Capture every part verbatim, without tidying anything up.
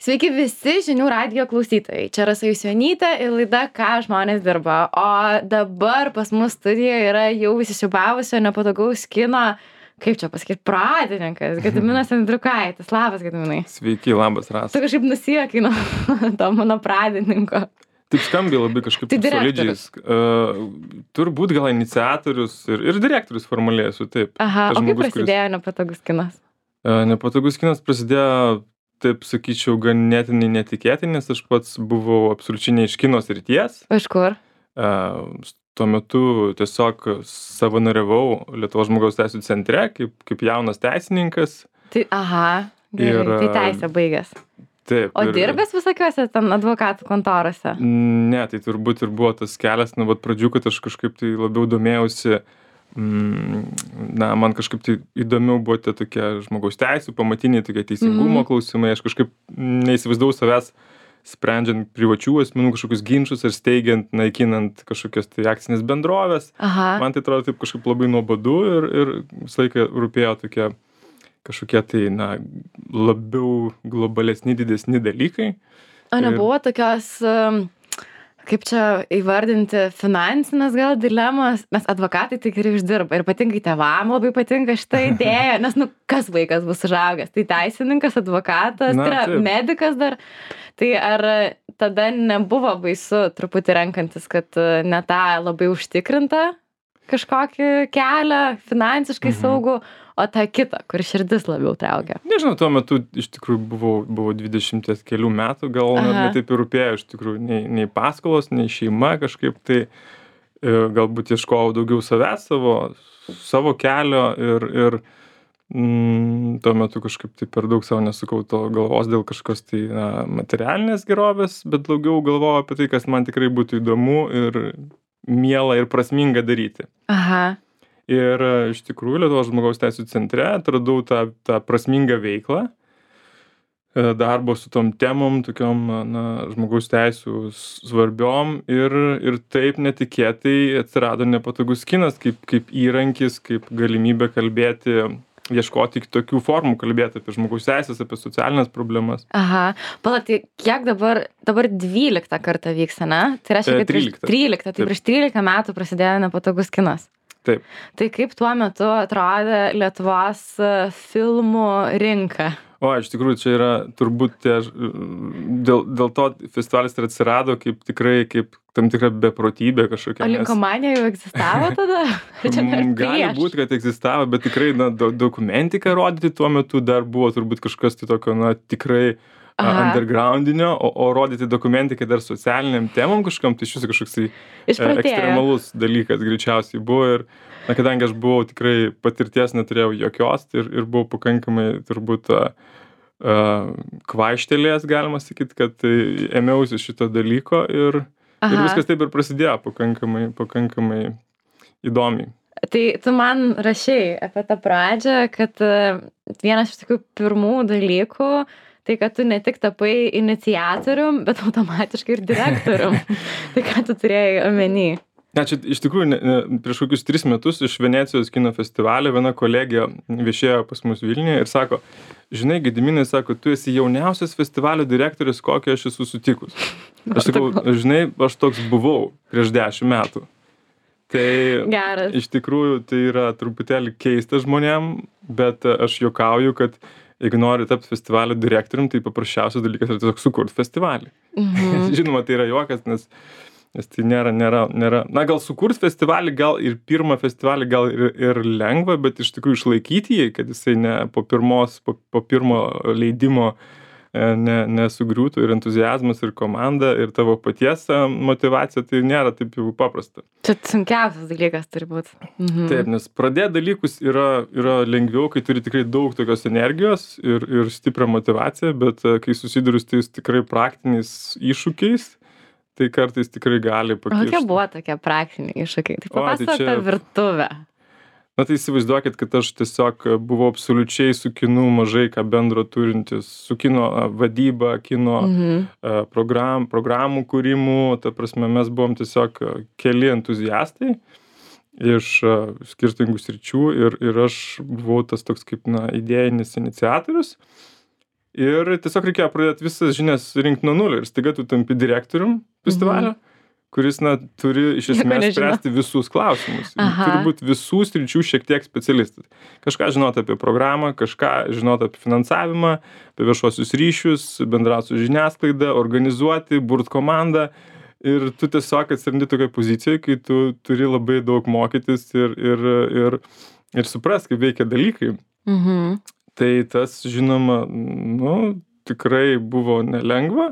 Sveiki visi žinių radijo klausytojai. Čia Rasa Jusionytė ir laida Ką žmonės dirba. O dabar pas mus studijoje yra jau įsisiūbavusio nepatogaus kino, kaip čia pasakyti, pradininkas, Gediminas Andriukaitis. Labas, Gediminai. Sveiki, labas, Rasa. Tu kažkaip nusijuokai nuo to mano pradininko. Taip skambiai labai kažkaip Tai solidžiai. direktorius. Uh, turbūt gal iniciatorius ir, ir direktorius formaliai esu, taip. Aha, Tas o kaip žmogus, kuris- prasidėjo nepatogus kinas? Uh, nepatogus kinas prasidėjo, taip sakyčiau, ganėtinai netikėtai, nes aš pats buvau absoliučiai ne iš kino srities. Iš kur? Uh, tuo metu tiesiog savanoriavau Lietuvos žmogaus teisių centre kaip, kaip jaunas teisininkas. Tai, aha, gerai, Ir, tai teisę baigęs. Taip. O ir- dirbęs visokiuose ten advokatų kontorose? Ne, tai turbūt ir buvo tas kelias, nuo pat pradžių, kad aš kažkaip tai labiau domėjausi, mm, na, man kažkaip tai įdomiau buvo tie tokie žmogaus teisų, pamatiniai tokie teisingumo Mhm. klausimai, aš kažkaip neįsivaizdavau savęs sprendžiant privačių asmenų kažkokius ginčius ar steigiant, naikinant kažkokias tai akcinės bendrovės. Aha. Man tai atrodo taip kažkaip labai nuobodu ir, ir visą laiką rūpėjo tokie kažkokie tai, na, labiau globalesni, didesni dalykai. O nebuvo tokios, um, kaip čia įvardinti, finansinės gal dilemos, nes advokatai tai gerai uždirba ir patinka tėvam, labai patinka šitą idėją, nes, nu, kas vaikas bus užaugęs, tai teisininkas, advokatas, Na, tai yra taip. medikas dar, tai ar tada nebuvo baisu truputį renkantis, kad uh, ne tą labai užtikrintą kažkokį kelią, finansiškai Mhm. saugų, o tą kitą, kur širdis labiau traukia? Nežinau, tuo metu iš tikrųjų buvau, buvau dvidešimties kelių metų, gal net Aha. netaip ir rūpėjo iš tikrųjų nei, nei paskolos, nei šeima kažkaip, tai e, galbūt ieškojau daugiau savęs, savo, savo kelio ir, ir mm, tuo metu kažkaip tai per daug savo nesukau to galvos dėl kažkokios tai na, materialinės gerovės, bet daugiau galvojau apie tai, kas man tikrai būtų įdomu ir miela ir prasminga daryti. Aha. Ir e, iš tikrųjų Lietuvos žmogaus teisių centre atradau tą, tą prasmingą veiklą, e, darbo su tom temom, tokiom na, žmogaus teisių svarbiom ir, ir taip netikėtai atsirado nepatogus kinas kaip, kaip įrankis, kaip galimybė kalbėti, ieškoti kitokių formų, kalbėti apie žmogaus teisės, apie socialinės problemas. Aha, pala, tai kiek dabar, dabar dvyliktą kartą vyksta, ne? Tai reiškia, E, kad prieš tryliktą. tryliktą, tai Taip. prieš trylika metų prasidėjo nepatogus kinas. Taip. Tai kaip tuo metu atrodė Lietuvos e, filmų rinka? O, iš tikrųjų, čia yra turbūt tie, ž- dėl, dėl to festivalis ir atsirado kaip tikrai, kaip tam tikra beprotybė kažkokia. O nes- linkomanija jau egzistavo tada? Ar čia dar Mm, Gali prieš? būti, kad egzistavo, bet tikrai na, do, dokumentiką rodyti tuo metu dar buvo turbūt kažkas tai tokio, na, tikrai a, Aha. undergroundinio, o, o rodyti dokumentiką dar socialiniam temom kažkam, tai iš viso kažkoks tai e, Išprotėjo. ekstremalus dalykas greičiausiai buvo ir, na, kadangi aš buvau tikrai patirties neturėjau jokios tai ir, ir buvau pakankamai turbūt a, a, kvaištelėjęs, galima sakyti, kad tai ėmiausi šito dalyko ir, ir Aha. viskas taip ir prasidėjo pakankamai, pakankamai įdomiai. Tai tu man rašei apie tą pradžią, kad e, vienas iš tokių pirmų dalykų, tai kad tu ne tik tapai iniciatorium, bet automatiškai ir direktorium. Tai ką tu turėjai omeny? Ne, čia iš tikrųjų ne, ne, prieš kokius tris metus iš Venecijos kino festivalio viena kolegė viešėjo pas mus Vilniuje ir sako, žinai, Gediminai, sako, tu esi jauniausias festivalio direktorius, kokį aš esu sutikus. Aš sakau, žinai, aš toks buvau prieš dešimt metų. Tai Geras. iš tikrųjų tai yra truputėlį keista žmonėm, bet e, aš juokauju, kad jeigu nori tapti festivalio direktorium, tai paprasčiausias dalykas yra tiesiog sukurti festivalį. Mhm. Žinoma, tai yra juokas, nes, nes tai nėra, nėra, nėra, na gal sukurt festivalį, gal ir pirmą festivalį gal ir, ir lengva, bet iš tikrųjų išlaikyti jį, kad jisai ne po pirmos, po, po pirmo leidimo e, ne, nesugriūtų ir entuzijazmas, ir komanda, ir tavo paties e, motyvacija, tai nėra taip jau paprasta. Čia sunkiausias dalykas turi būti. Mhm. Taip, nes pradėti dalykus yra, yra lengviau, kai turi tikrai daug tokios energijos ir, ir stiprią motyvaciją, bet e, kai susiduriu su tais tikrai praktiniais iššūkiais, tai kartais tikrai gali O pakirsti. kokie buvo tokie praktiniai iššūkiai? Tai O, tai papasakok čia- apie virtuvę. Na tai įsivaizduokit, kad aš tiesiog buvau absoliučiai su kinu mažai ką bendro turintis, su kino a, vadyba, kino Mhm. a, program, programų kūrimu, ta prasme mes buvom tiesiog a, keli entuziastai iš a, skirtingų sričių ir, ir aš buvau tas toks kaip na, idėjinis iniciatorius. Ir tiesiog reikėjo pradėti visas žinias rinkti nuo nulio ir staiga tu tampi direktorium festivalio, kuris, na, turi iš Nieko esmės nežino. spręsti visus klausimus. Aha. Turi būti visų sričių šiek tiek specialistas. Kažką žinot apie programą, kažką žinot apie finansavimą, apie viešuosius ryšius, bendrauti su žiniasklaida, organizuoti, burt komandą. Ir tu tiesiog atsirandi tokioj pozicijoje, kai tu turi labai daug mokytis ir, ir, ir, ir suprast, kaip veikia dalykai. Mhm. Tai tas, žinoma, nu, tikrai buvo nelengva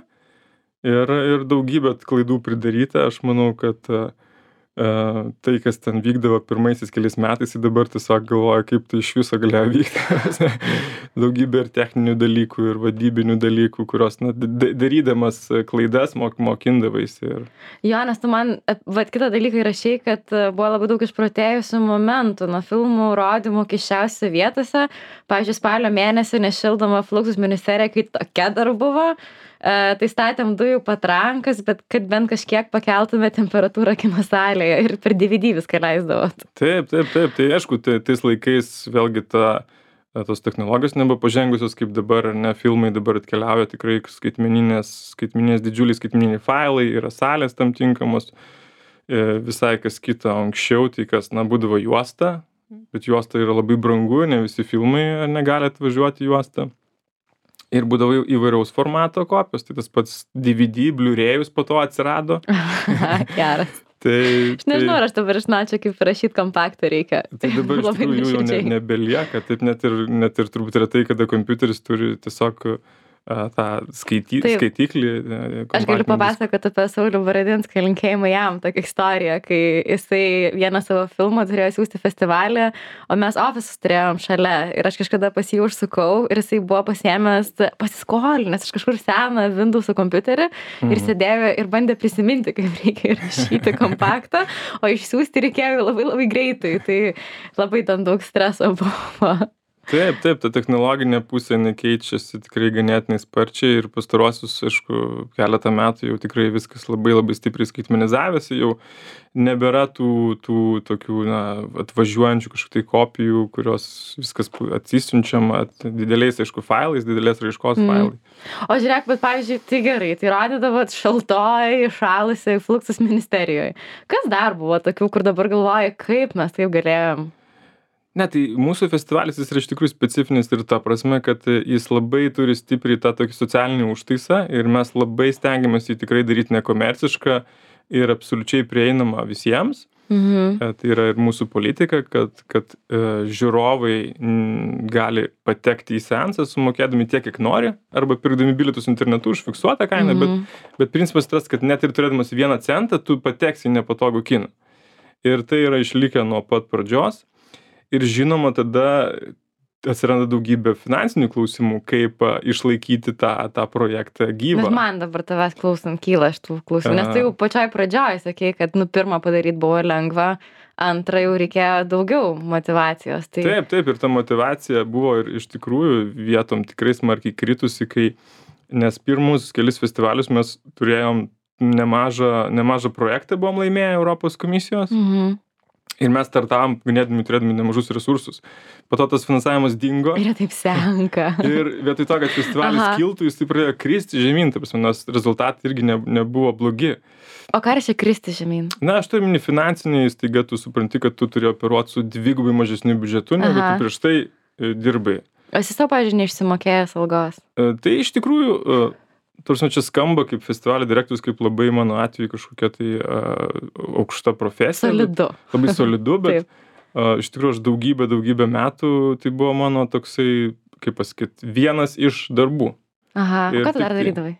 ir, ir daugybė klaidų pridaryta. Aš manau, kad uh, tai, kas ten vykdavo pirmaisiais keliais metais, tai dabar tiesiog galvoju, kaip tai iš viso galėjo vykti. Daugybė ir techninių dalykų, ir vadybinių dalykų, kurios, na, darydamas klaidas mok, mokindavaisi. Ir... Jo, nes tu man, vat kitą dalyką įrašei, kad buvo labai daug išprotėjusių momentų nuo filmų rodymų keisčiausiose vietose. Pavyzdžiui, spalio mėnesį nešildoma Fluxus ministerija, kai tokia dar buvo. Uh, tai statėm dujų patrankas, bet kad bent kažkiek pakeltume temperatūrą kino salėje ir per D V D viską leisdavot. Taip, taip, taip. Tai aišku, tai, tais laikais vėlgi ta, tos technologijos nebuvo pažengusios kaip dabar, ar ne, filmai dabar atkeliauja tikrai skaitmeninės, skaitmeninės didžiuliai skaitmeniniai failai, yra salės tam tinkamos, e, visai kas kita anksčiau, tai kas, na, būdavo juosta, bet juosta yra labai brangu, ne visi filmai negali atvažiuoti juostą. Ir būdavo įvairaus formato kopijos, tai tas pats D V D, Blu-rayus po to atsirado. Geras. Tai, Aš nežinau, tai, ar aš dabar žinočiau, kaip rašyti kompaktą reikia. tai dabar iš Labai tikrųjų jų jau ne, nuoširdžiai. nebelieka, taip net ir, net ir turbūt yra tai, kada kompiuteris turi tiesiog a, tą skaity, Taip. skaitiklį. Aš galiu kompaktinį papasakoti apie Saulių Baradinską, linkėjimą jam, tokią istoriją, kai jisai vieną savo filmą turėjo siūsti festivalį, o mes ofisus turėjom šalia ir aš kažkada pas jį užsukau ir jisai buvo pasiėmęs, pasiskolinęs iš kažkur seną Windows kompiuterį ir sėdėjo ir bandė prisiminti, kaip reikia rašyti kompaktą, o išsiųsti reikėjo labai labai greitai, tai labai ten daug streso buvo. Taip, taip, ta technologinė pusė nekeičiasi tikrai ganėtinai sparčiai ir pastaruosius, aišku, keletą metų jau tikrai viskas labai labai stipriai skaitmenizavėsi, jau nebėra tų, tų tokių, na, atvažiuojančių kažkokių tai kopijų, kurios viskas atsisiunčiama dideliais, aišku, failais, didelės raiškos Mm. failai. O žiūrėk, bet pavyzdžiui, tai gerai, tai rodydavot šaltoj, šalusiai Fluxus ministerijoje. Kas dar buvo tokių, kur dabar galvoja, kaip mes taip galėjom? Ne, tai mūsų festivalis jis yra iš tikrųjų specifinis ir ta prasme, kad jis labai turi stipriai tą tokį socialinį užtaisą ir mes labai stengiamės jį tikrai daryti nekomercišką ir absoliučiai prieinamą visiems. Mhm. E, Tai yra ir mūsų politika, kad, kad e, žiūrovai m, gali patekti į seansą sumokėdami tiek, kiek nori, arba pirkdami bilietus internetu už fiksuotą kainą, Mhm. bet, bet principas tas, kad net ir turėdamas vieną centą, tu pateksi į nepatogų kiną. Ir tai yra išlikę nuo pat pradžios. Ir žinoma, tada atsiranda daugybė finansinių klausimų, kaip a, išlaikyti tą, tą projektą gyvą. Bet man dabar tavęs klausant kyla iš tų klausimų, nes tai jau pačioj pradžioj sakei, kad nu pirmą padaryti buvo lengva, antrą jau reikėjo daugiau motivacijos. Tai... Taip, taip, ir ta motivacija buvo ir iš tikrųjų vietom tikrai smarkiai kritusi, kai, nes pirmus kelis festivalius mes turėjom nemažą, nemažą projektą, buvom laimėję Europos komisijos. Mhm. Ir mes startavom, ganėdami turėdami nemažus resursus. Po to tas finansavimas dingo. Ir jie taip senka. Ir vietoj to, kad festivalis Aha. kiltų, jis taip pradėjo kristi žemyn, ta prasme, nors rezultatai irgi ne, nebuvo blogi. O ką reiškia kristi žemyn? Na, aš turiu mini finansiniai, staiga tu supranti, kad tu turi operuoti su dvigubai mažesniu biudžetu, negu Aha. tu prieš tai e, dirbai. O esi savo, pavyzdžiui, neišsimokėjęs algos? E, Tai iš tikrųjų, e, tarsi čia skamba kaip festivalio direktorius, kaip labai mano atveju kažkokia tai uh, aukšta profesija. Solidu. Bet, labai solidu, bet Taip. uh, iš tikrųjų aš daugybę, daugybę metų tai buvo mano toksai, kaip pasakyti, vienas iš darbų. Aha, o Ir ką tu dar tik- darydavai?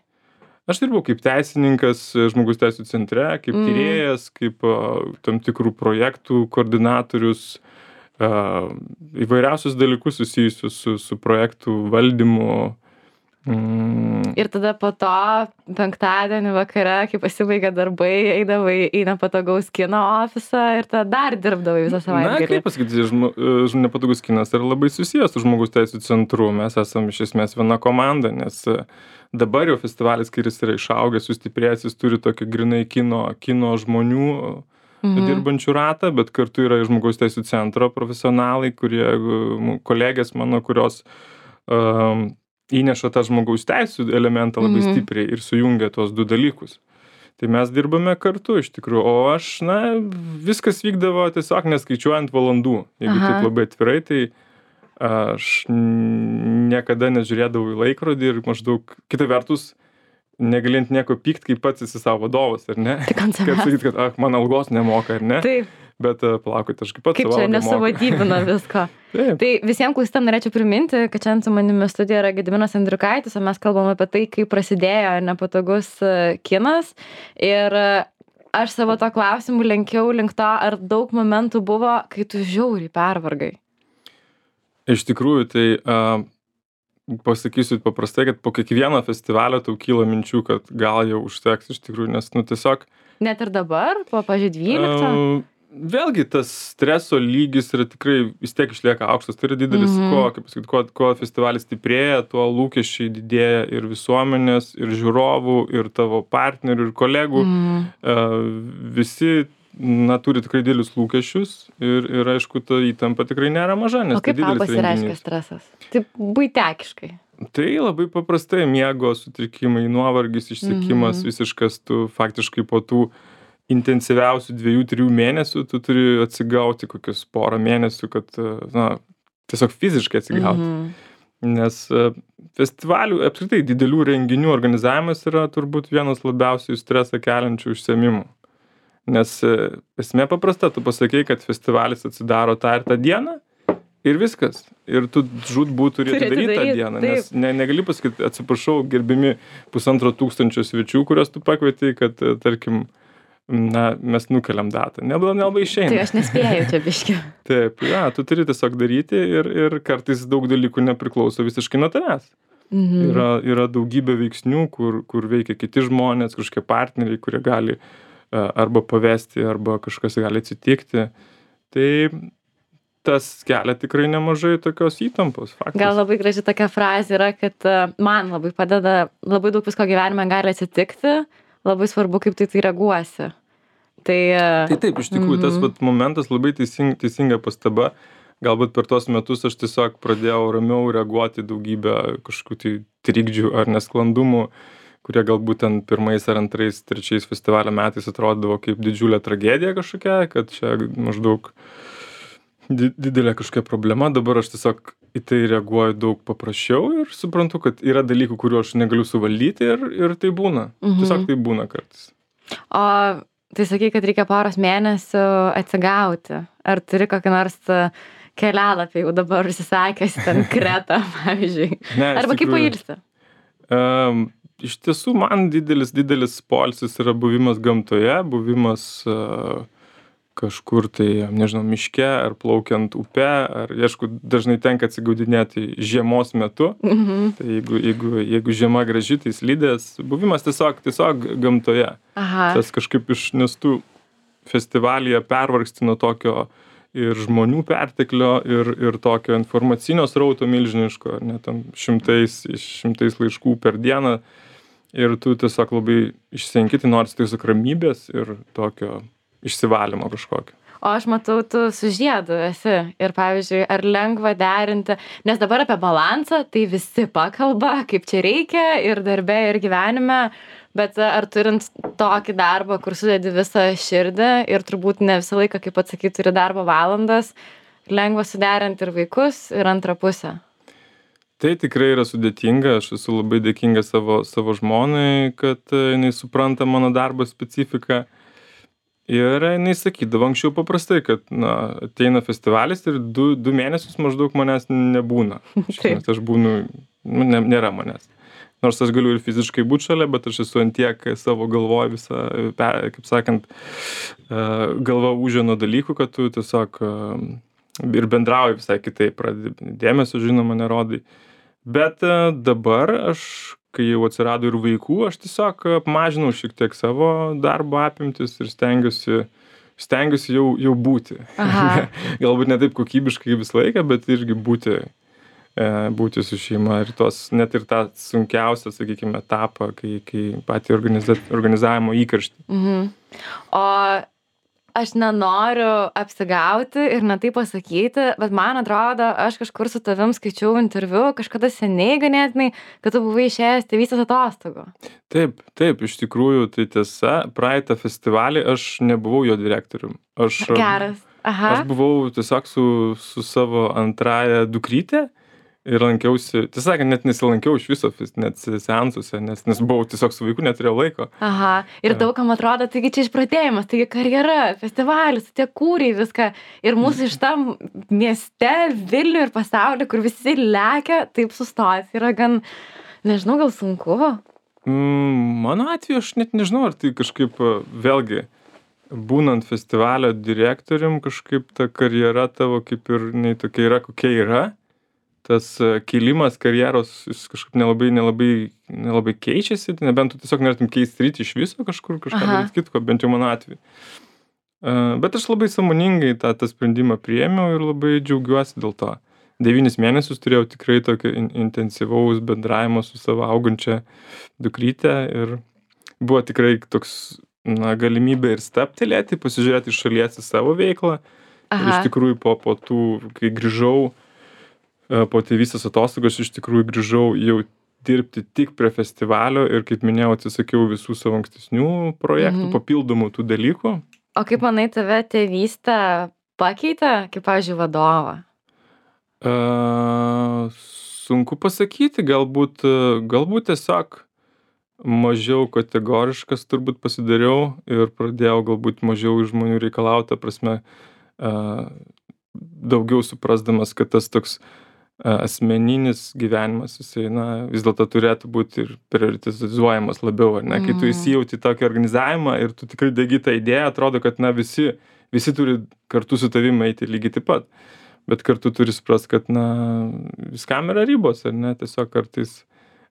Aš dirbau kaip teisininkas e, žmogaus teisų centre, kaip Mm. tyrėjas, kaip uh, tam tikrų projektų koordinatorius, uh, įvairiausius dalykus susijusius su, su projektų valdymu. Mm. Ir tada po to penktadienį vakare, kai pasibaigė darbai, eidavai į nepatogaus kino ofisą ir tada dar dirbdavai visą Na, savaitgalį. kaip pasakyti, žmo, e, nepatogus kinas yra labai susijęs su žmogaus teisų centru. Mes esame iš esmės viena komanda, nes e, dabar jau festivalis, kai jis yra išaugęs, sustiprėjęs, jis turi tokį grinai kino, kino žmonių Mhm. dirbančių ratą, bet kartu yra ir žmogaus teisų centro profesionalai, kurie, e, mu- kolegės mano, kurios um, įneša tą žmogaus teisų elementą labai Mhm. stipriai ir sujungia tuos du dalykus. Tai mes dirbame kartu iš tikrųjų, o aš, na, viskas vykdavo tiesiog neskaičiuojant valandų. Jeigu Aha. taip labai atvirai, tai aš n- niekada nežiūrėdavau į laikrodį ir maždaug, kita vertus, negalint nieko pykt, kai pats esi savo vadovas, ar ne? Tik ant Kad savęs. sakyt, kad, ah, man algos nemoka, ar ne? Taip, Bet uh, palaukit, aš kaip pats kaip savo čia algą moku. nesuvadybina visko. Taip. Tai visiems klausytam norėčiau priminti, kad šiandien su manimi studijoje yra Gediminas Andriukaitis, o mes kalbam apie tai, kaip prasidėjo nepatogus e, kinas. Ir e, aš savo to klausimu lenkiau link to, ar daug momentų buvo, kai tu žiauriai pervargai. Iš tikrųjų, tai uh, pasakysiu paprastai, kad po kiekvieno festivalio tau kyla minčių, kad gal jau užteks iš tikrųjų, nes, nu, tiesiog Net ir dabar, po, pažiūrėjau, dvylikto. Uh, vėlgi tas streso lygis yra tikrai vis tiek išlieka aukštas. Tai yra didelis, Mhm. kuo, kaip pasakyt, kuo, kuo festivalis stiprėja, tuo lūkesčiai didėja ir visuomenės, ir žiūrovų, ir tavo partnerių, ir kolegų. Mm. Uh, visi, na, turi tikrai didelius lūkesčius ir, ir aišku, ta įtampa tikrai nėra maža, nes O kaip tai tau didelis pasireiškia renginys. stresas? Taip, buitekiškai. Tai labai paprastai miego sutrikimai, nuovargis, išsekimas Mhm. visiškas, tu faktiškai po tų intensyviausių dviejų, trijų mėnesių tu turi atsigauti kokius porą mėnesių, kad, na, tiesiog fiziškai atsigauti. Mhm. Nes e, festivalių, apskritai didelių renginių organizavimas yra turbūt vienas labiausiai stresą keliančių užsiėmimų. Nes e, esmė paprasta, tu pasakei, kad festivalis atsidaro tą ir tą dieną ir viskas. Ir tu žūtbūt turi Turi atidaryti tą atidaryt, dieną, taip. nes ne, negali pasakyti, atsiprašau, gerbimi pusantro tūkstančio svečių, kuriuos tu pakvietei, kad, e, tarkim, na, mes nukeliam datą. Nelabai nelabai išeina. Tai aš nespėjau čia biški. Taip, ja, tu turi tiesiog daryti ir, ir kartais daug dalykų nepriklauso visiškai nuo tavęs. Mhm. Yra, yra daugybė veiksnių, kur, kur veikia kiti žmonės, kažkokie partneriai, kurie gali uh, arba pavesti, arba kažkas gali atsitikti. Tai tas kelia tikrai nemažai tokios įtampos. Faktas. Gal labai graži tokia frazė yra, kad e, man labai padeda, labai daug visko gyvenime gali atsitikti, labai svarbu, kaip tai tai reaguosi. Tai, e, Tai taip, iš tikrųjų, tas Mhm. vat momentas labai teising, teisinga pastaba. Galbūt per tuos metus aš tiesiog pradėjau ramiau reaguoti į daugybę kažkokių tai trikdžių ar nesklandumų, kurie galbūt ten pirmais ar antrais, trečiais festivalio metais atrodavo kaip didžiulė tragedija kažkokia, kad čia maždaug di- didelė kažkokia problema. Dabar aš tiesiog į tai reaguoju daug paprasčiau ir suprantu, kad yra dalykų, kuriuo aš negaliu suvaldyti ir, ir tai būna. Mhm. Tiesiog tai būna kartais. O tai sakai, kad reikia poros mėnesių atsigauti. Ar turi kokį nors e, kelialapį jau dabar užsisakęs ten Kretą, pavyzdžiui? Ne, iš Arba kaip tikrųjų, pailsi? Um, iš tiesų, man didelis, didelis poilsis yra buvimas gamtoje, buvimas uh, kažkur tai, nežinau, miške ar plaukiant upe, ar, aišku, dažnai tenka atsigaudinėti žiemos metu. Mhm. Tai jeigu, jeigu, jeigu žiema graži, tai slidės, buvimas tiesiog, tiesiog gamtoje. Aha. Tas kažkaip iš, nes tu festivalyje pervargsti nuo tokio ir žmonių perteklio, ir, ir tokio informacinio srauto milžiniško, ar net tam šimtais, šimtais laiškų per dieną. Ir tu tiesiog labai išsenki, tai nors tiesiog ramybės ir tokio išsivalymo kažkokio. O aš matau, tu su žiedu esi. Ir pavyzdžiui, ar lengva derinti, nes dabar apie balansą, tai visi pakalba, kaip čia reikia ir darbe, ir gyvenime. Bet ar turint tokį darbą, kur sudedi visą širdį ir turbūt ne visą laiką, kaip atsakyti, turi darbo valandas, lengva suderinti ir vaikus, ir antrą pusę. Tai tikrai yra sudėtinga, aš esu labai dėkinga savo, savo žmonai, kad e, jinai supranta mano darbo specifiką. Ir jinai sakydavo anksčiau paprastai, kad na, ateina festivalis ir du, du mėnesius maždaug manęs nebūna. Iš Taip. esmės, aš būnu, nu, ne, nėra manęs. Nors aš galiu ir fiziškai būti šalia, bet aš esu ant tiek savo galvoj visą, pe- kaip sakant, e, galva užė nuo dalykų, kad tu tiesiog e, ir bendrauji visai kitaip, pradedi dėmesio, žinoma, nerodai. Bet e, dabar aš, kai jau atsirado ir vaikų, aš tiesiog apmažinau šiek tiek savo darbo apimtis ir stengiuosi, stengiuosi jau, jau būti. Aha. Galbūt ne taip kokybiškai visą laiką, bet irgi būti, e, būti su šeima ir tos, net ir tą sunkiausią, sakykime, etapą, kai, kai patį organiza, organizavimo įkarštį. Mhm. O aš nenoriu apsigauti ir ne taip pasakyti, bet man atrodo, aš kažkur su tavim skaičiau interviu, kažkada seniai ganėtinai, kad tu buvai išėjęs tėvystės atostogų. Taip, taip, iš tikrųjų, tai tiesa, praeitą festivalį aš nebuvau jo direktorium. Aš, Geras. Aha. aš buvau tiesiog su, su savo antrąja dukrytė ir lankiausi, tiesą sakant, net nesilankiau iš viso, net seansuose, nes, nes buvau tiesiog su vaiku, neturėjau laiko. Aha, ir daugam atrodo, taigi čia išpratėjimas, taigi karjera, festivalis, tie kūriai viską. Ir mūsų iš tam mieste, Vilnių ir pasaulį, kur visi lekia, taip sustos. Yra gan, nežinau, gal sunku. Mm, mano atveju aš net nežinau, ar tai kažkaip vėlgi, būnant festivalio direktorium, kažkaip ta karjera tavo kaip ir nei tokia yra, kokia yra. Tas kilimas karjeros jis kažkaip nelabai, nelabai, nelabai keičiasi, nebent tu tiesiog norėtum keisti sritį iš viso kažkur, kažką daryti kitko, bent jau mano atveju. Bet aš labai sąmoningai tą, tą sprendimą priėmiau ir labai džiaugiuosi dėl to. Devynis mėnesius turėjau tikrai tokio in, intensyvaus bendravimo su savo augančia dukryte ir buvo tikrai toks na, galimybė ir staptelėti, pasižiūrėti iš šalies į savo veiklą. Aha. Ir iš tikrųjų po, po tų, kai grįžau, po tėvystės atostogos iš tikrųjų grįžau jau dirbti tik prie festivalio ir, kaip minėjau, atsisakiau visų savo ankstesnių projektų, mhm. papildomų tų dalykų. O kaip manai, tave tėvystė pakeitė, kaip, pavyzdžiui, vadovą? Uh, sunku pasakyti, galbūt, galbūt tiesiog mažiau kategoriškas turbūt pasidariau ir pradėjau galbūt mažiau iš žmonių reikalauti, ta prasme, uh, daugiau suprasdamas, kad tas toks asmeninis gyvenimas, jisai, na, vis dėlto turėtų būti ir prioritizuojamas labiau, ar ne? Kai tu įsijauti tokį organizavimą ir tu tikrai degi tą idėją, atrodo, kad, na, visi, visi turi kartu su tavimi eiti lygiai taip pat. Bet kartu turi suprast, kad, na, viskam yra ribos, ar ne? Tiesiog kartais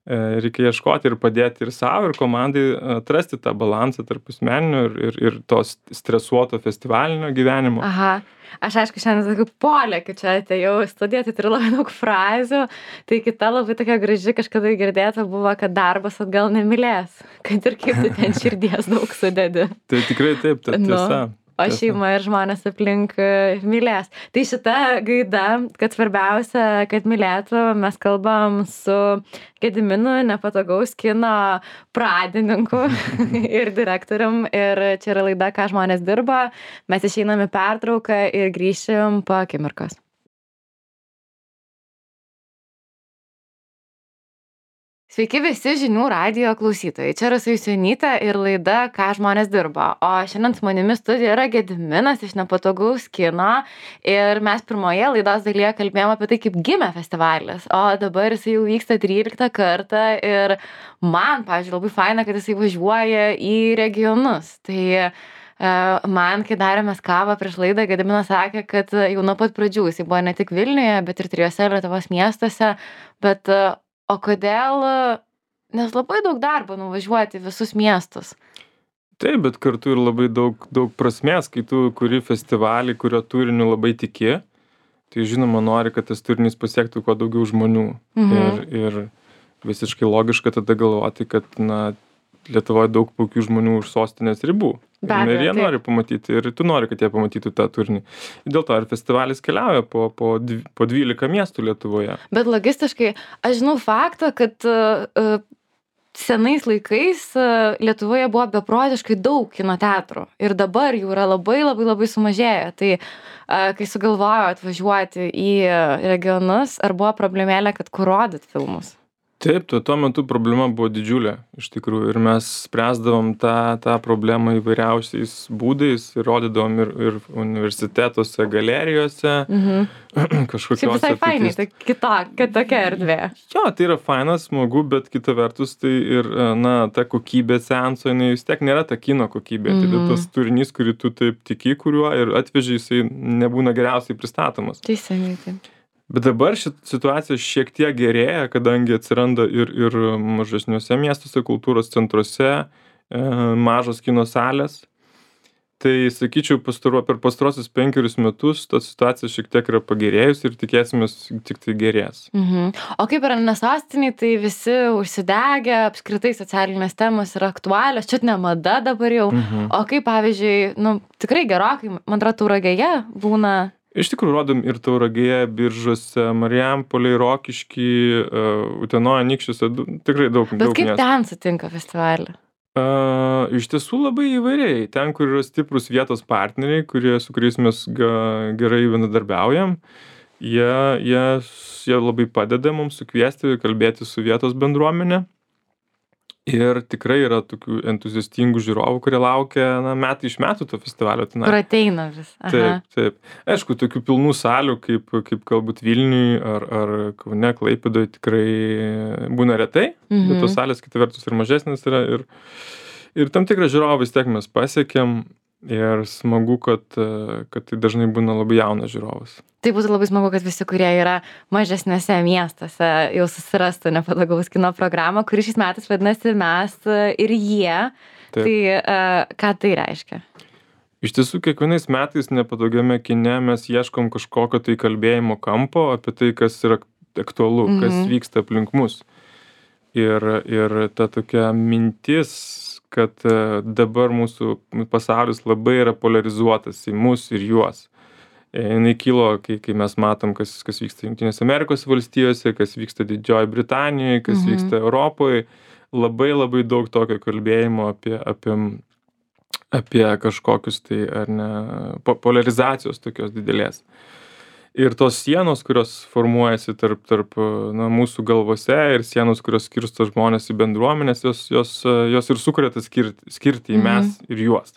e, reikia ieškoti ir padėti ir savo, ir komandai atrasti tą balansą tarp asmeninio ir, ir, ir to stresuoto festivalinio gyvenimo. Aha. Aš aišku, šiandien sakiau, polė, kai čia atėjau į studiją, tai turiu labai daug frazių. Tai kita labai tokia graži kažkada girdėta buvo, kad darbas atgal nemylės. Kad ir kaip tu ten širdies daug sudedi. Tai tikrai taip, ta tiesa. Nu. O šeima ir žmonės aplink mylės. Tai šita gaida, kad svarbiausia, kad mylėtų, mes kalbam su Gediminu, nepatogaus kino pradininku ir direktorium. Ir čia yra laida, ką žmonės dirba. Mes išeinam į pertrauką ir grįšim po akimirkos. Sveiki visi žinių radijo klausytojai. Čia Rasa Jusionytė ir laida, ką žmonės dirba. O šiandien su manimi studijoje yra Gediminas iš nepatogaus kino. Ir mes pirmoje laidos dalyje kalbėjome apie tai, kaip gimė festivalis. O dabar jisai jau vyksta tryliktą kartą. Ir man, pavyzdžiui, labai faina, kad jisai važiuoja į regionus. Tai man, kai darėmės kavą prieš laidą, Gediminas sakė, kad jau nuo pat pradžių jisai buvo ne tik Vilniuje, bet ir trijose Lietuvos miestuose. Bet o kodėl? Nes labai daug darbo nuvažiuoti visus miestus. Taip, bet kartu ir labai daug, daug prasmės, kai tu kuri festivalį, kurio turiniu labai tiki, tai žinoma nori, kad tas turinys pasiektų kuo daugiau žmonių. Mhm. Ir, ir visiškai logiška tada galvoti, kad na, Lietuvoje daug puikių žmonių už sostinės ribų. Ir jie taip nori pamatyti, ir tu nori, kad jie pamatytų tą turinį. Ir dėl to ir festivalis keliauja po, po, po dvylika miestų Lietuvoje. Bet logistiškai, aš žinau faktą, kad uh, senais laikais uh, Lietuvoje buvo beprotiškai daug kino teatrų. Ir dabar jų yra labai, labai, labai sumažėję. Tai uh, kai sugalvojo atvažiuoti į regionus, ar buvo problemėlė, kad kur rodyt filmus? Taip, tuo, tuo metu problema buvo didžiulė, iš tikrųjų, ir mes spręsdavom tą, tą problemą įvairiausiais būdais, ir rodydavom ir, ir universitetuose, galerijose, mhm. kažkokiuose. Šiaip visai fainai, tai kitokia, tokia erdvė. Jo, tai yra fainas, smagu, bet kita vertus, tai ir, na, ta kokybė seanso, jinai vis tiek nėra ta kino kokybė, mhm. tai tas turinys, kurį tu taip tiki, kuriuo ir atveži, jisai nebūna geriausiai pristatomas. Teisingai, taip. Bet dabar šit situacija šiek tiek gerėja, kadangi atsiranda ir, ir mažesniuose miestuose, kultūros centruose, e, mažos kino salės. tai sakyčiau, pastaro, per pastarosius penkerius metus ta situacija šiek tiek yra pagerėjusi ir tikėsimės tik tai gerės. Mhm. O kaip yra, nes sostiniai, tai visi užsidegę, apskritai socialinės temos yra aktualios, čia ne mada dabar jau. Mhm. O kaip, pavyzdžiui, nu, tikrai gerokai, man atrodo, Tauragėje būna. Iš tikrųjų, rodom ir Tauragėje, Biržuose, Marijampolėj, Rokišky, uh, Utenoje, Anykščiuose, du- tikrai daug. Bet daug kaip miestų. ten sutinka festivalį? Uh, iš tiesų labai įvairiai. Ten, kur yra stiprus vietos partneriai, kurie, su kuriais mes ga, gerai bendradarbiaujam, jie, jie, jie labai padeda mums sukviesti, kalbėti su vietos bendruomenė. Ir tikrai yra tokių entuziastingų žiūrovų, kurie laukia na, metai iš metų to festivalio. Tenai. Kur ateina vis. Aha. Taip, taip. Aišku, tokių pilnų salių, kaip, kaip galbūt Vilniui ar, ar Kaune, Klaipėdoje tikrai būna retai, Mhm. bet tos salės kita vertus ir mažesnės yra. Ir, ir tam tikrą žiūrovą vis tiek mes pasiekėm ir smagu, kad, kad tai dažnai būna labai jaunas žiūrovas. Tai būtų labai smagu, kad visi, kurie yra mažesniuose miestuose, jau susirastų Nepatogaus kino programą, kuri šiais metais vadinasi Mes ir jie. Taip. Tai uh, ką tai reiškia? Iš tiesų, kiekvienais metais Nepatogiame kine mes ieškom kažkokio tai kalbėjimo kampo apie tai, kas yra aktualu, Mhm. kas vyksta aplink mus. Ir, ir ta tokia mintis, kad e, dabar mūsų pasaulis labai yra polarizuotas į mus ir juos. E, Jinai kilo, kai, kai mes matom, kas, kas vyksta Junktinėse Amerikos valstijose, kas vyksta Didžioji Britanijoje, kas Mhm. vyksta Europoje. Labai labai daug tokio kalbėjimo apie, apie, apie kažkokius tai, ar ne, po- polarizacijos tokios didelės. Ir tos sienos, kurios formuojasi tarp, tarp na, mūsų galvose ir sienos, kurios skirsto žmonės į bendruomenės, jos, jos, jos ir sukuria tą skirti, skirti į Mhm. mes ir juos.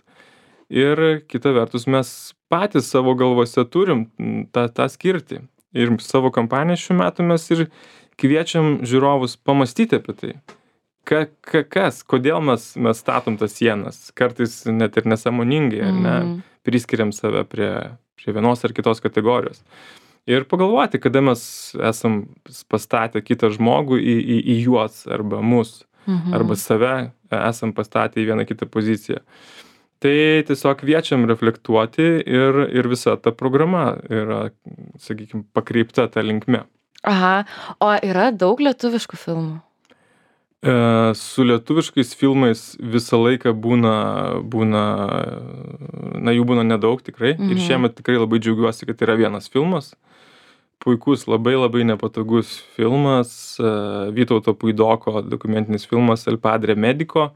Ir kita vertus, mes patys savo galvose turim tą, tą skirti. Ir savo kampaniją šiuo metu mes ir kviečiam žiūrovus pamastyti apie tai. Ka, ka, kas, kodėl mes, mes statom tas sienas, kartais net ir nesąmoningai, ar ne, Mhm. priskiriam save prie, prie vienos ar kitos kategorijos. Ir pagalvoti, kada mes esam pastatę kitą žmogų į, į, į juos arba mus, Mhm. arba save esam pastatę į vieną kitą poziciją. Tai tiesiog kviečiam reflektuoti ir, ir visa ta programa yra, sakykime, pakreipta tą linkme. Aha. O yra daug lietuviškų filmų? E, su lietuviškais filmais visą laiką būna, būna, na jų būna nedaug tikrai. Mhm. Ir šiemet tikrai labai džiaugiuosi, kad yra vienas filmas. Puikus, labai labai nepatogus filmas, e, Vytauto Puidoko dokumentinis filmas El Padre Medico,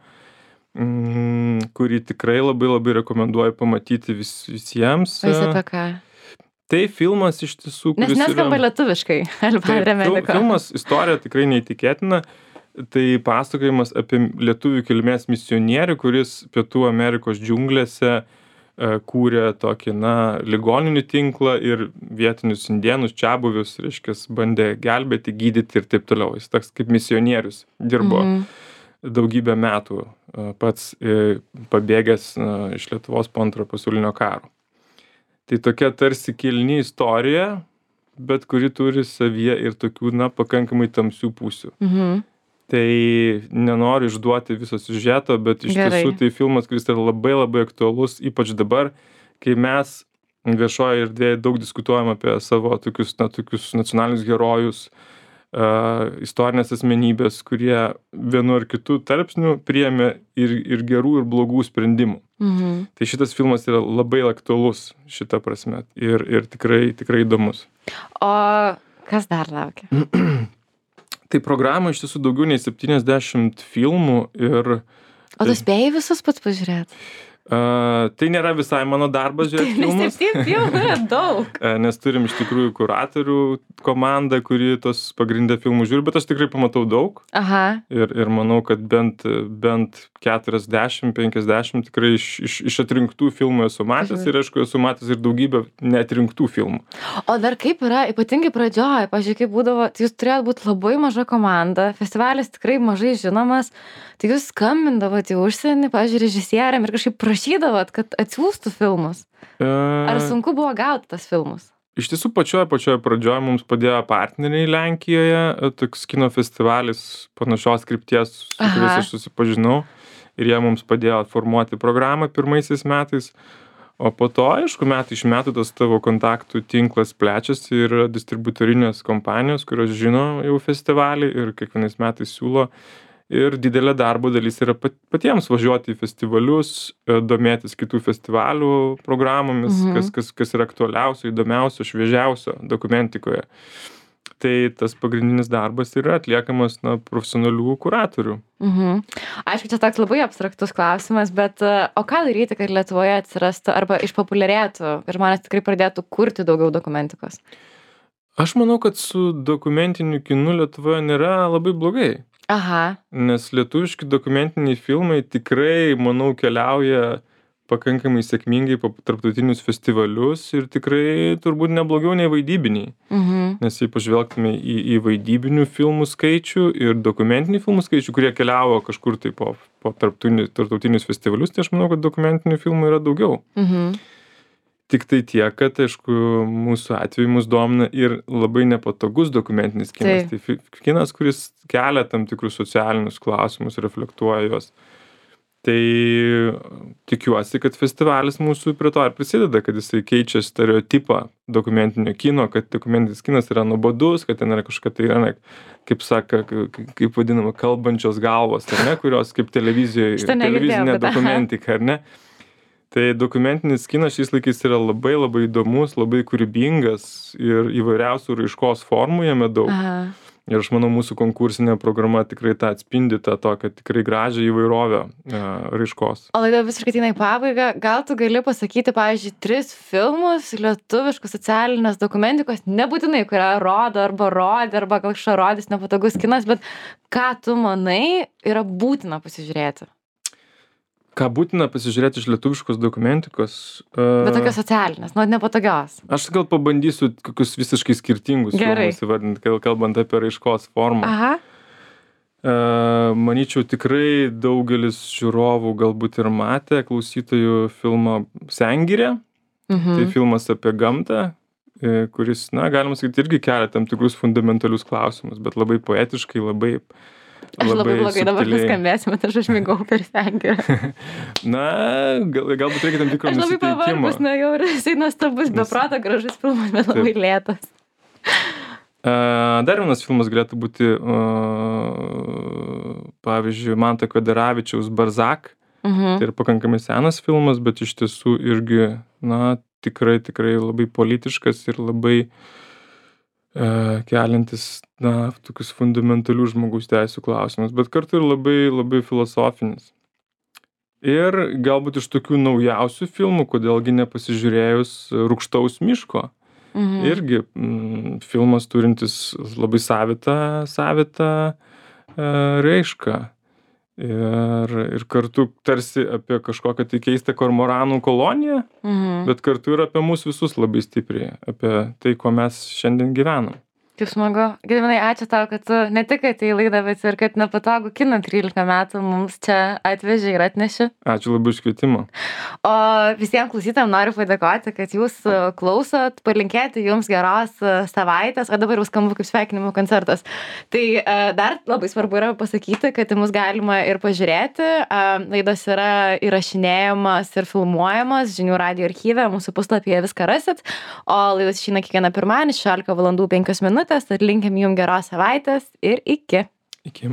mm, kurį tikrai labai labai rekomenduoju pamatyti vis, visiems. O jis apie ką? Tai filmas iš tiesų, Nes kuris neskamba yra... lietuviškai. El Taip, Padre fil- Medico. Filmas, istorija tikrai neįtikėtina. Tai pasakojimas apie lietuvių kilmės misionierių, kuris Pietų Amerikos džiunglėse e, kūrė tokį, na, ligoninių tinklą ir vietinius indėnus, čiabuvius, reiškia, bandė gelbėti, gydyti ir taip toliau. Jis toks kaip misionierius dirbo Mhm. daugybę metų, e, pats e, pabėgęs e, iš Lietuvos po antrojo pasaulinio karo. Tai tokia tarsi kilni istorija, bet kuri turi savyje ir tokių, na, pakankamai tamsių pusių. Mhm. Tai nenoriu išduoti viso siužeto, bet iš Gerai. tiesų tai filmas, kuris yra labai labai aktualus, ypač dabar, kai mes viešoje erdvėje daug diskutuojam apie savo tokius, na, tokius nacionalinius herojus, uh, istorinės asmenybės, kurie vienu ar kitu tarpsniu priėmė ir, ir gerų, ir blogų sprendimų. Mhm. Tai šitas filmas yra labai aktualus šita prasme ir, ir tikrai, tikrai įdomus. O kas dar laukia? Tai programa iš tiesų daugiau nei septyniasdešimt filmų ir O tu spėjai visus pats pažiūrėti? uh, tai nėra visai mano darbas žiūrėti filmus, Septyni filmai yra daug. uh, nes turim iš tikrųjų kuratorių komandą, kuri tos pagrindė filmų žiūri, bet aš tikrai pamatau daug Aha. ir, ir manau, kad bent, bent keturiasdešimt penkiasdešimt tikrai iš, iš, iš atrinktų filmų esu matęs ir aišku esu matęs ir daugybę neatrinktų filmų. O dar kaip yra, ypatingai pradžioje, pažiūrėjau, kaip būdavo, tai jūs turėjot būti labai maža komanda, festivalis tikrai mažai žinomas, tai jūs skambindavot į užsienį, pažiūrėjau, režisieriam ir kažkaip prašydavot, kad atsiųstų filmus. Ar Uh, sunku buvo gauti tas filmus? Iš tiesų pačioje, pačioje pradžioje mums padėjo partneriai Lenkijoje, toks kino festivalis panašios krypties, su kuriais Aha. aš susipažinau. ir jie mums padėjo formuoti programą pirmaisiais metais. O po to, aišku, metai iš metų tas tavo kontaktų tinklas plečiasi ir yra distributorinės kompanijos, kurios žino jau festivalį ir kiekvienais metais siūlo. Ir didelė darbo dalis yra pat- patiems važiuoti į festivalius, e, domėtis kitų festivalių programomis, Mhm. kas, kas, kas yra aktualiausio, įdomiausio, šviežiausio dokumentikoje. Tai tas pagrindinis darbas yra atliekamas na, profesionalių kuratorių. Mhm. Aišku, čia toks labai abstraktus klausimas, bet e, o ką daryti, kad Lietuvoje atsirastų arba išpopuliarėtų ir žmonės tikrai pradėtų kurti daugiau dokumentikos? Aš manau, kad su dokumentiniu kinu Lietuvoje nėra labai blogai. Aha. Nes lietuviški dokumentiniai filmai tikrai, manau, keliauja pakankamai sėkmingai po tarptautinius festivalius ir tikrai turbūt neblogiau nei vaidybiniai. Mhm. Nes jei pažvelgtume į, į vaidybinių filmų skaičių ir dokumentinių filmų skaičių, kurie keliavo kažkur tai po, po tarptautinius, tarptautinius festivalius, tai aš manau, kad dokumentinių filmų yra daugiau. Mhm. Tik tai tiek, kad, aišku, mūsų atveju mus domina ir labai nepatogus dokumentinis kinas. Taip. Tai fi- kinas, kuris kelia tam tikrus socialinius klausimus, reflektuoja juos. Tai tikiuosi, kad festivalis mūsų prie to ir prisideda, kad jisai keičia stereotipą dokumentinio kino, kad dokumentinis kinas yra nuobodus, kad ten yra kažkokia tai, yra, kaip saka, k- kaip vadinama, kalbančios galvos, ar ne, kurios kaip televizijoje, Šitą negirdėjau, televizinė bet aha. dokumentika, ar ne? Tai dokumentinis kinas šiais laikais yra labai labai įdomus, labai kūrybingas ir įvairiausių raiškos formų jame daug. Aha. Ir aš manau, mūsų konkursinė programa tikrai tą atspindi, tą tokią tikrai gražią įvairovę e, raiškos. O laida visiškai ateina į pabaigą. Gal tu gali pasakyti, pavyzdžiui, tris filmus lietuviškus socialinės dokumentikos, nebūtinai, kurią rodo arba rodė, arba gal kažką rodys nepatogus kinas, bet ką tu manai yra būtina pasižiūrėti? Ką būtina pasižiūrėti iš lietuviškos dokumentikos? E, Bet tokios socialinės, nu, nepatogios. aš gal pabandysiu kokius visiškai skirtingus Gerai. filmus įvardinti, kal- kalbant apie raiškos formą. Aha. E, manyčiau, tikrai daugelis žiūrovų galbūt ir matė klausytojų filmą Sengirė. Mhm. Tai filmas apie gamtą, e, kuris, na, galima sakyti, irgi kelia tam tikrus fundamentalius klausimus, bet labai poetiškai, labai, Aš labai blogai dabar subtiliai. nuskambėsiu, bet aš užmigau per sengirę. Na, gal, galbūt reikia tam tikro Aš labai nusiteikimo. pavargus nuo jau ir jisai nuostabus, Nes- beproto gražus filmas, bet Taip. labai lėtas. E, Dar vienas filmas galėtų būti, e, pavyzdžiui, Manto Kvedaravičiaus Barzak. Mhm. Tai yra pakankamai senas filmas, bet iš tiesų irgi, na, tikrai, tikrai labai politiškas ir labai e, keliantis, na, tokius fundamentalius žmogaus teisų klausimus, bet kartu ir labai, labai filosofinis. Ir galbūt iš tokių naujausių filmų, kodėlgi nepasižiūrėjus Rūgštaus miško. Mhm. Irgi mm, filmas turintis labai savitą, savitą e, raišką. Ir, ir kartu tarsi apie kažkokią tai keistą kormoranų koloniją, Mhm. bet kartu ir apie mus visus labai stipriai, apie tai, kuo mes šiandien gyvenam. Kaip smagu. Gediminai, ačiū tau, kad tu ne tik atėjai į laidą, bet ir kad nepatogų kiną trylika metų mums čia atvežė ir atnešė. Ačiū labai už kvietimą. O visiems klausytėm noriu padėkoti, kad jūs e, klausot, palinkėti jums geros e, savaitės, o dabar jau skamba kaip sveikinimų koncertas. Tai e, dar labai svarbu yra pasakyti, kad į mus galima ir pažiūrėti. E, Laidos yra įrašinėjamas ir filmuojamas žinių radijo archyve, mūsų puslapyje viską rasit. O laidos išeina kiekvieną pirmadienį, šešiolika valandų penkios minutės, tad linkim jums geros savaitės ir iki. Iki.